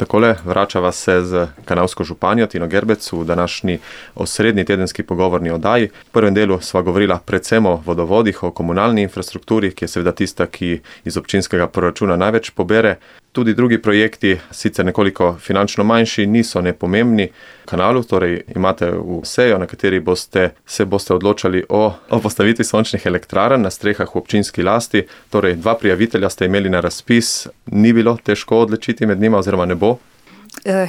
Takole, vračava se z Kanalsko županjo Tino Gerbec v današnji osrednji tedenski pogovorni oddaji. V prvem delu sva govorila predvsem o vodovodih, o komunalni infrastrukturi, ki je seveda tista, ki iz občinskega proračuna največ pobere. Tudi drugi projekti, sicer nekoliko finančno manjši, niso nepomembni. Kanalu, torej imate v sejo, na kateri se boste odločali o postavitvi sončnih elektrarn na strehah v občinski lasti. Torej, 2 prijavitelja ste imeli na razpis, ni bilo težko odločiti med njima oziroma ne bo?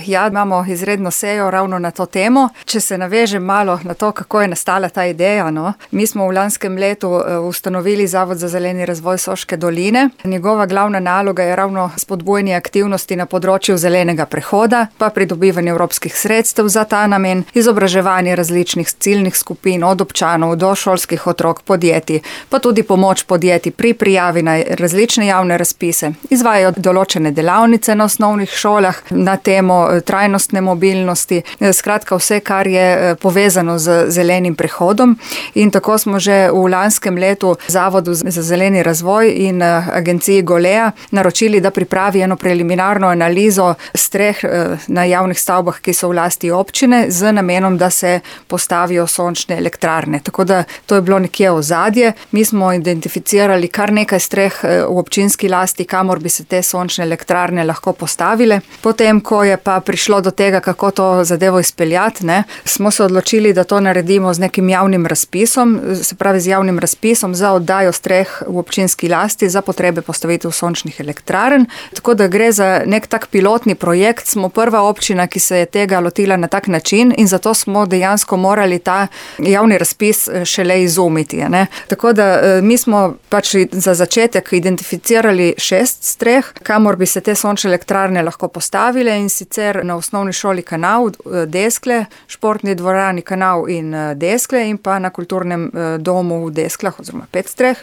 Ja, imamo izredno sejo ravno na to temo. Če se navežem malo na to, kako je nastala ta ideja, Mi smo v lanskem letu ustanovili Zavod za zeleni razvoj Soške doline. Njegova glavna naloga je ravno spodbujanje aktivnosti na področju zelenega prehoda, pa pridobivanje evropskih sredstev za ta namen, izobraževanje različnih ciljnih skupin, od občanov do šolskih otrok, podjetij, pa tudi pomoč podjetij pri prijavi na različne javne razpise. Izvajajo določene delavnice na osnovnih šolah na temo trajnostne mobilnosti, skratka vse, kar je povezano z zelenim prehodom. In tako smo že v lanskem letu Zavodu za zeleni razvoj in agenciji Golea naročili, da pripravi eno preliminarno analizo streh na javnih stavbah, ki so v lasti občine, z namenom, da se postavijo sončne elektrarne. Tako da to je bilo nekje ozadje. Mi smo identificirali kar nekaj streh v občinski lasti, kamor bi se te sončne elektrarne lahko postavile. Potem, ko je pa prišlo do tega, kako to zadevo izpeljati, smo se odločili, da to naredimo z nekim javnim razpisom, se pravi z javnim razpisom za oddajo streh v občinski lasti za potrebe postavitev sončnih elektrarn. Tako da gre za nek tak pilotni projekt, smo prva občina, ki se je tega lotila na tak način in zato smo dejansko morali ta javni razpis šele izumiti. Tako da mi smo pač za začetek identificirali 6 streh, kamor bi se te sončne elektrarne lahko postavile, in sicer na osnovni šoli Kanal, Deskle, športni dvorani Kanal in Deskle in pa na kulturnem domu v Desklah, oziroma 5 streh.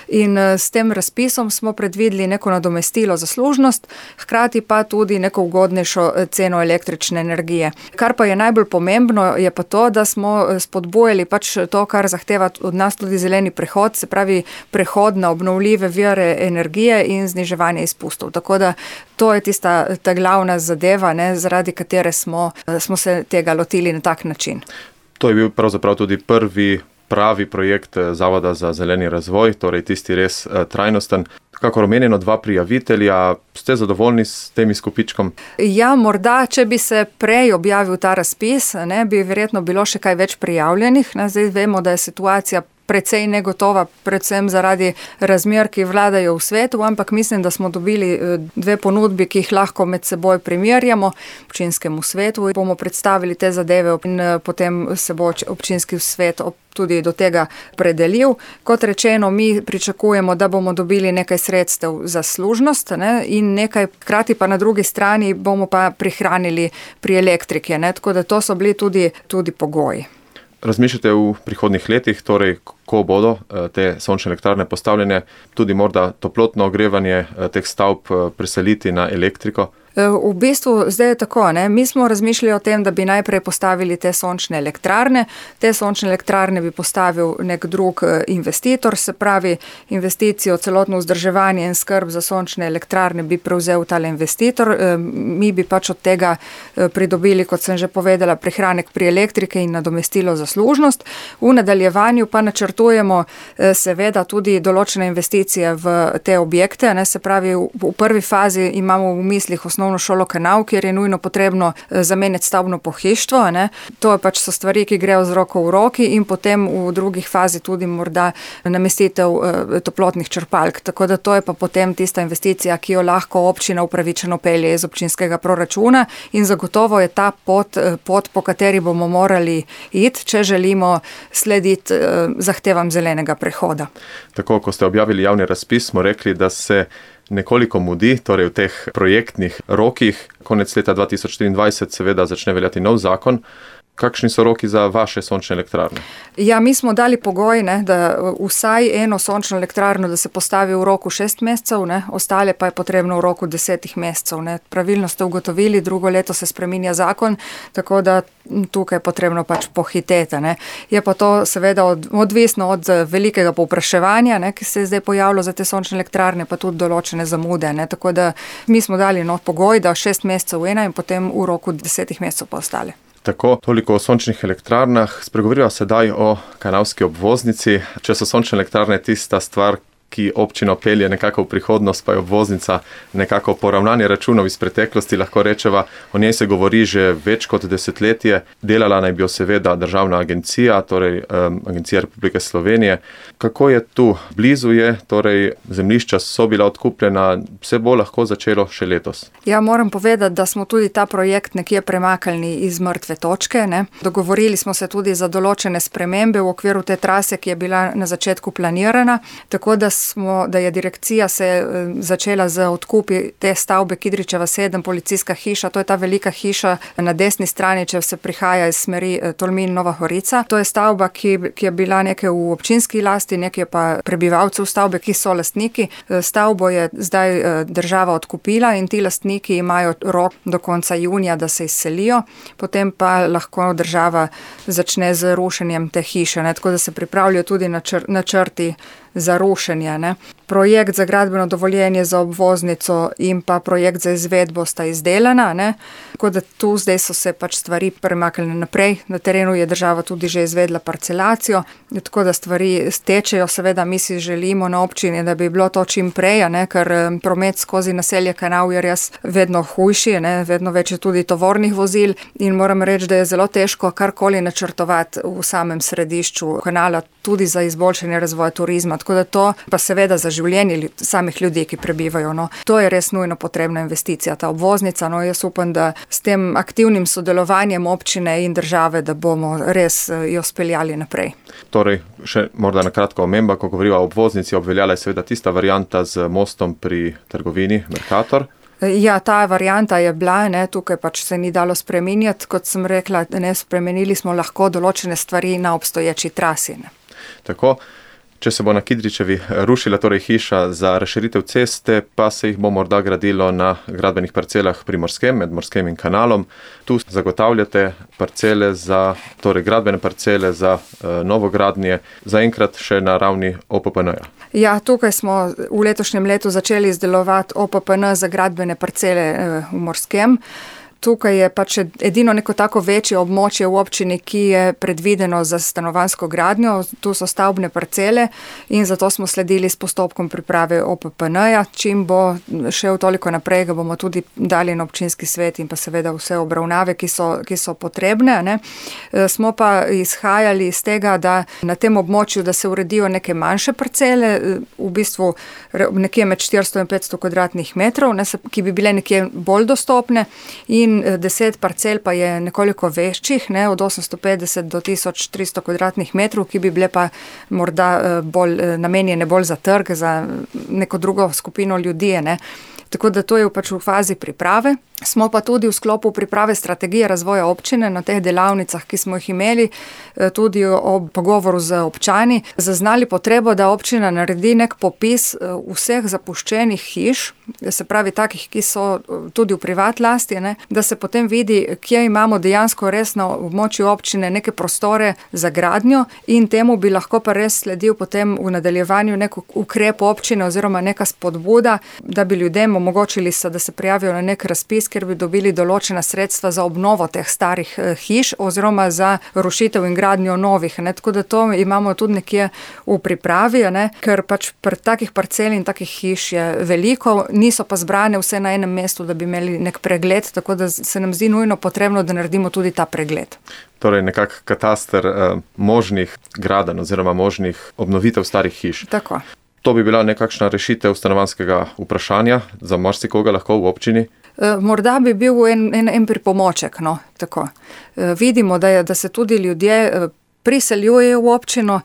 In s tem razpisom smo predvideli neko nadomestilo za služnost, hkrati pa tudi neko ugodnejšo ceno električne energije. Kar pa je najbolj pomembno, je pa to, da smo spodbujali pač to, kar zahteva od nas tudi zeleni prehod, se pravi prehod na obnovljive vire energije in zniževanje izpustov. Tako da to je ta glavna zadeva, zaradi katere smo se tega lotili na tak način. To je bil pravzaprav tudi prvi pravi projekt Zavoda za zeleni razvoj, torej tisti res trajnosten. Kakor omenjeno, 2 prijavitelja, ste zadovoljni s tem izkupičkom? Ja, morda, če bi se prej objavil ta razpis, bi verjetno bilo še kaj več prijavljenih. Zdaj vemo, da je situacija precej negotova, predvsem zaradi razmer, ki vladajo v svetu, ampak mislim, da smo dobili 2 ponudbi, ki jih lahko med seboj primerjamo občinskemu svetu. Bomo predstavili te zadeve in potem se bo občinski svet tudi do tega predelil. Kot rečeno, mi pričakujemo, da bomo dobili nekaj sredstev za služnost in nekaj, hkrati pa na drugi strani bomo pa prihranili pri elektriki. Tako da to so bili tudi pogoji. Razmišljate v prihodnjih letih, torej ko bodo te sončne elektrarne postavljene, tudi morda toplotno ogrevanje teh stavb preseliti na elektriko? V bistvu zdaj je tako, mi smo razmišljali o tem, da bi najprej postavili te sončne elektrarne. Te sončne elektrarne bi postavil nek drug investitor, se pravi investicijo, celotno vzdrževanje in skrb za sončne elektrarne bi prevzel tale investitor. Mi bi pač od tega pridobili, kot sem že povedala, prihranek pri elektrike in nadomestilo za služnost. V nadaljevanju pa načrtujemo seveda tudi določene investicije v te objekte, se pravi v prvi fazi imamo v mislih osnovno šolo Kanal, kjer je nujno potrebno zamenjati stavbno pohištvo. To pač so stvari, ki grejo z roko v roki, in potem v drugih fazi tudi morda namestitev toplotnih črpalk. Tako da to je pa potem tista investicija, ki jo lahko občina upravičeno pelje iz občinskega proračuna, in zagotovo je ta pot, po kateri bomo morali iti, če želimo slediti zahtevam zelenega prehoda. Tako, ko ste objavili javni razpis, smo rekli, da se nekoliko mudi, torej v teh projektnih rokih. Konec leta 2024 seveda začne veljati nov zakon. Kakšni so roki za vaše sončne elektrarne? Ja, mi smo dali pogoj, da vsaj eno sončno elektrarno, da se postavi v roku 6 mesecev, ostale pa je potrebno v roku 10 mesecev. Pravilno ste ugotovili, drugo leto se spreminja zakon, tako da tukaj je potrebno pač pohiteti. Je pa to seveda odvisno od velikega povpraševanja, ki se je zdaj pojavilo za te sončne elektrarne, pa tudi določene zamude. Tako da mi smo dali pogoj, da 6 mesecev ena in potem v roku 10 mesecev pa ostale. Tako, toliko o sončnih elektrarnah. Spregovoriva sedaj o kanalski obvoznici. Če so sončne elektrarne tista stvar, ki občino pelje nekako v prihodnost, pa je obvoznica nekako poravnanje računov iz preteklosti, lahko rečeva. O njej se govori že več kot desetletje. Delala naj bi jo seveda državna agencija, torej Agencija Republike Slovenije. Kako je tu? Blizu je, torej zemljišča so bila odkupljena, se bo lahko začelo še letos. Ja, moram povedati, da smo tudi ta projekt nekje premaknili iz mrtve točke. Dogovorili smo se tudi za določene spremembe v okviru te trase, ki je bila na začetku planirana, tako da je direkcija se začela z odkupi te stavbe Kidričeva 7, policijska hiša. To je ta velika hiša na desni strani, če se prihaja iz smeri Tolmin Nova Gorica. To je stavba, ki je bila nekaj v občinski lasti, nekaj pa prebivalcev stavbe, ki so lastniki. Stavbo je zdaj država odkupila in ti lastniki imajo rok do konca junija, da se izselijo. Potem pa lahko država začne z rušenjem te hiše. Tako da se pripravljajo tudi načrti za rušenje. Projekt za gradbeno dovoljenje za obvoznico in pa projekt za izvedbo sta izdelana. Tako da tu zdaj so se pač stvari premaknile naprej. Na terenu je država tudi že izvedla parcelacijo, tako da stvari stečejo. Seveda mi si želimo na občini, da bi bilo to čim prej, ker promet skozi naselje Kanal je res vedno hujši, vedno več je tudi tovornih vozil in moram reči, da je zelo težko karkoli načrtovati v samem središču kanala, tudi za izboljšanje razvoja turizma. Tako da to pa seveda za življenje samih ljudi, ki prebivajo. To je res nujno potrebna investicija, ta obvoznica. Jaz upam, da s tem aktivnim sodelovanjem občine in države, da bomo res jo speljali naprej. Torej, še morda na kratko omemba, ko govoriva o obvoznici, obveljala je seveda tista varianta z mostom pri trgovini Mercator. Ja, ta varianta je bila, tukaj pač se ni dalo spreminjati. Kot sem rekla, spremenili smo lahko določene stvari na obstoječi trasi. Tako. Če se bo na Kidričevi rušila torej hiša za razširitev ceste, pa se jih bo morda gradilo na gradbenih parcelah pri Morskem, med Morskem in Kanalom. Tu zagotavljate parcele torej gradbene parcele za novogradnje, zaenkrat še na ravni OPPN-ja. Ja, tukaj smo v letošnjem letu začeli izdelovati OPPN za gradbene parcele v Morskem. Tukaj je pač edino neko tako večje območje v občini, ki je predvideno za stanovanjsko gradnjo. Tu so stavbne parcele in zato smo sledili s postopkom priprave OPPN-ja. Čim bo šel toliko naprej, ga bomo tudi dali na občinski svet in pa seveda vse obravnave, ki so potrebne. Smo pa izhajali iz tega, da na tem območju, da se uredijo neke manjše parcele, v bistvu nekje med 400 in 500 kvadratnih metrov, ki bi bile nekje bolj dostopne, in 10 parcel pa je nekoliko večjih, od 850 do 1300 kvadratnih metrov, ki bi bile pa morda bolj namenjene bolj za trg, za neko drugo skupino ljudi. Tako da to je pač v fazi priprave. Smo pa tudi v sklopu priprave strategije razvoja občine na teh delavnicah, ki smo jih imeli, tudi ob pogovoru z občani, zaznali potrebo, da občina naredi nek popis vseh zapuščenih hiš, se pravi takih, ki so tudi v privat lasti, da se potem vidi, kje imamo dejansko res na območju občine neke prostore za gradnjo in temu bi lahko pa res sledil potem v nadaljevanju nek ukrep občine oziroma neka spodbuda, da bi ljudem omogočili se, da se prijavijo na nek razpis, ker bi dobili določena sredstva za obnovo teh starih hiš oziroma za rušitev in gradnjo novih. Tako da to imamo tudi nekje v pripravi, ker pač takih parcel in takih hiš je veliko, niso pa zbrane vse na enem mestu, da bi imeli nek pregled, tako da se nam zdi nujno potrebno, da naredimo tudi ta pregled. Torej nekak kataster možnih gradenj oziroma možnih obnovitev starih hiš. Tako. To bi bila nekakšna rešitev stanovanjskega vprašanja za marsikoga lahko v občini? Morda bi bil en pripomoček. Tako. Vidimo, da se tudi ljudje priseljujejo v občino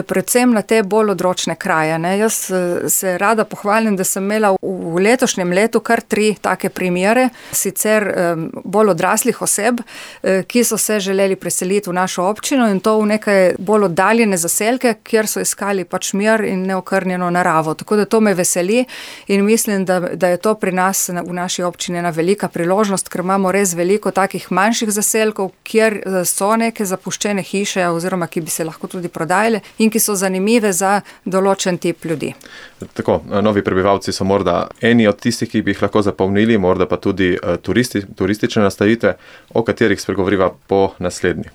predvsem na te bolj odročne kraje. Ne. Jaz se rada pohvalim, da sem imela v letošnjem letu kar 3 take primere, sicer bolj odraslih oseb, ki so se želeli preseliti v našo občino in to v neke bolj oddaljene zaselke, kjer so iskali pač mir in neokrnjeno naravo. Tako da to me veseli in mislim, da je to pri nas v naši občini ena velika priložnost, ker imamo res veliko takih manjših zaselkov, kjer so neke zapuščene hiše oziroma ki bi se lahko tudi prodajale in ki so zanimive za določen tip ljudi. Tako, novi prebivalci so morda eni od tistih, ki bi jih lahko zapolnili, morda pa tudi turistične nastavitve, o katerih spregovoriva po naslednji.